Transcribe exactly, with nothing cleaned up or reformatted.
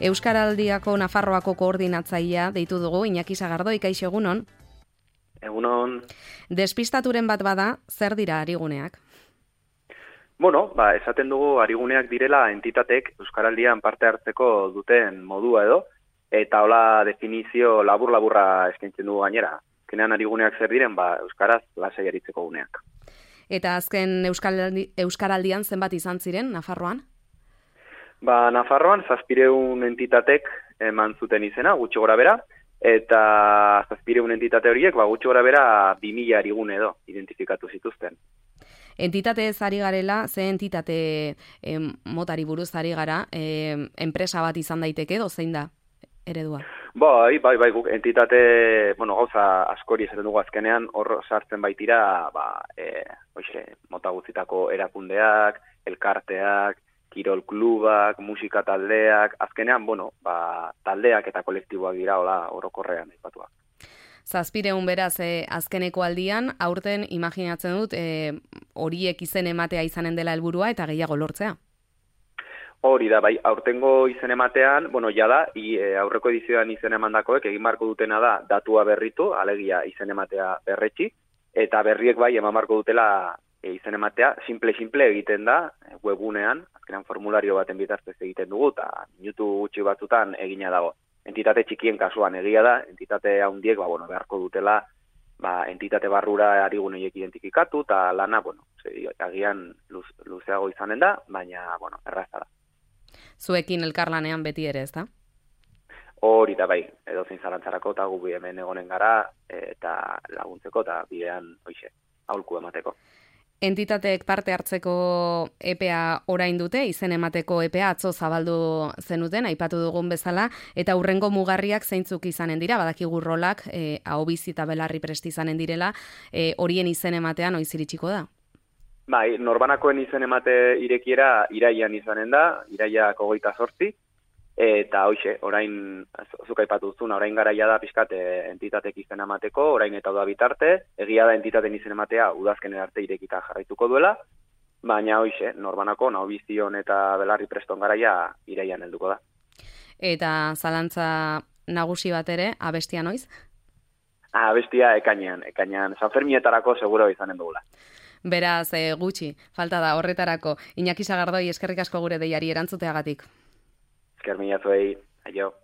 Euskaraldiako Nafarroako koordinatzailea deitu dugu, Iñaki Sagardoi, kaixo egunon. Egunon. Despistaturen bat bada, zer dira ariguneak? Bueno, ba, esaten dugu ariguneak direla entitatek Euskaraldian parte hartzeko duten modua edo, eta hola definizio labur-laburra eskaintzen dugu gainera. Kenean ariguneak zer diren, ba, Euskaraz lasai aritzeko guneak. Eta azken Euskaraldi, Euskaraldian zenbat izan ziren, Nafarroan? Ba, Nafarroan zazpireun entitatek eman zuten izena, gutxi gora bera, eta zazpireun entitate horiek, ba, gutxi gora bera, bi mila arigune edo identifikatu zituzten. Entitate ez ari garela, ze entitate eh, motari buruz ari gara, eh, enpresa bat izan daiteke edo zein da eredua? Bai, bai, bai, guk entitate, bueno, gauza askori esaten dugu azkenean, hor sartzen baitira, ba, e, oixe, mota guztitako erakundeak, elkarteak, kirol klubak, musika taldeak, azkenean, bueno, ba, taldeak eta kolektiboak dira, hola, orokorrean aipatuak. Zazpireun beraz, eh, azkeneko aldian, aurten imaginatzen dut, eh, horiek izen ematea izanen dela helburua eta gehiago lortzea. Hori da, bai, aurtengo izen ematean, bueno, jada, i, e, aurreko edizioan izen emandakoek egin barko dutena da datua berritu, alegia izen ematea berretxi, eta berriek bai eman barko dutela e, izen ematea, simple-simple egiten da, webunean, azkenean formulario baten bitartez egiten dugu, eta minutu gutxi batzutan egina dago. Entitate txikien kasuan egia da, entitate handiek, ba, bueno, beharko dutela, ba, entitate barrura ariguneiek identifikatu, eta lana, bueno, ze, agian luz, luzeago izanen da, baina, bueno, erraza da. Zuekin elkarlanean beti ere, ez da? Hori da bai, edozein zalantzarako eta gu hemen egonen gara eta laguntzeko eta bidean hoixe, aholku emateko. Entitateek parte hartzeko epea orain dute, izen emateko epea atzo zabaldu zenuten, aipatu dugun bezala, eta hurrengo mugarriak zeintzuk izanen dira, badakigu rolak, eh, ahobizi eta belarri presti izanen direla, eh, horien izen ematean noiz iritsiko da? Bai, norbanakoen izen emate irekiera iraian izanen da, iraiak hogeita zortzi, eta hoixe, orain, zuk aipatu duzuna, orain garaia da pixkat entitatek izen emateko, orain eta da bitarte, egia da entitaten izen ematea udazkenen arte irekita jarraituko duela, baina hoixe, norbanako, nahobizion eta belarri preston garaia iraian helduko da. Eta zalantza nagusi bat ere, abestia noiz? Abestia ekainean, ekainean, Sanfermietarako seguro izanen dugula. Beraz, e, gutxi, falta da horretarako. Iñaki Sagardoi, eskerrik asko gure deiari erantzuteagatik. Esker mila zuei, aio.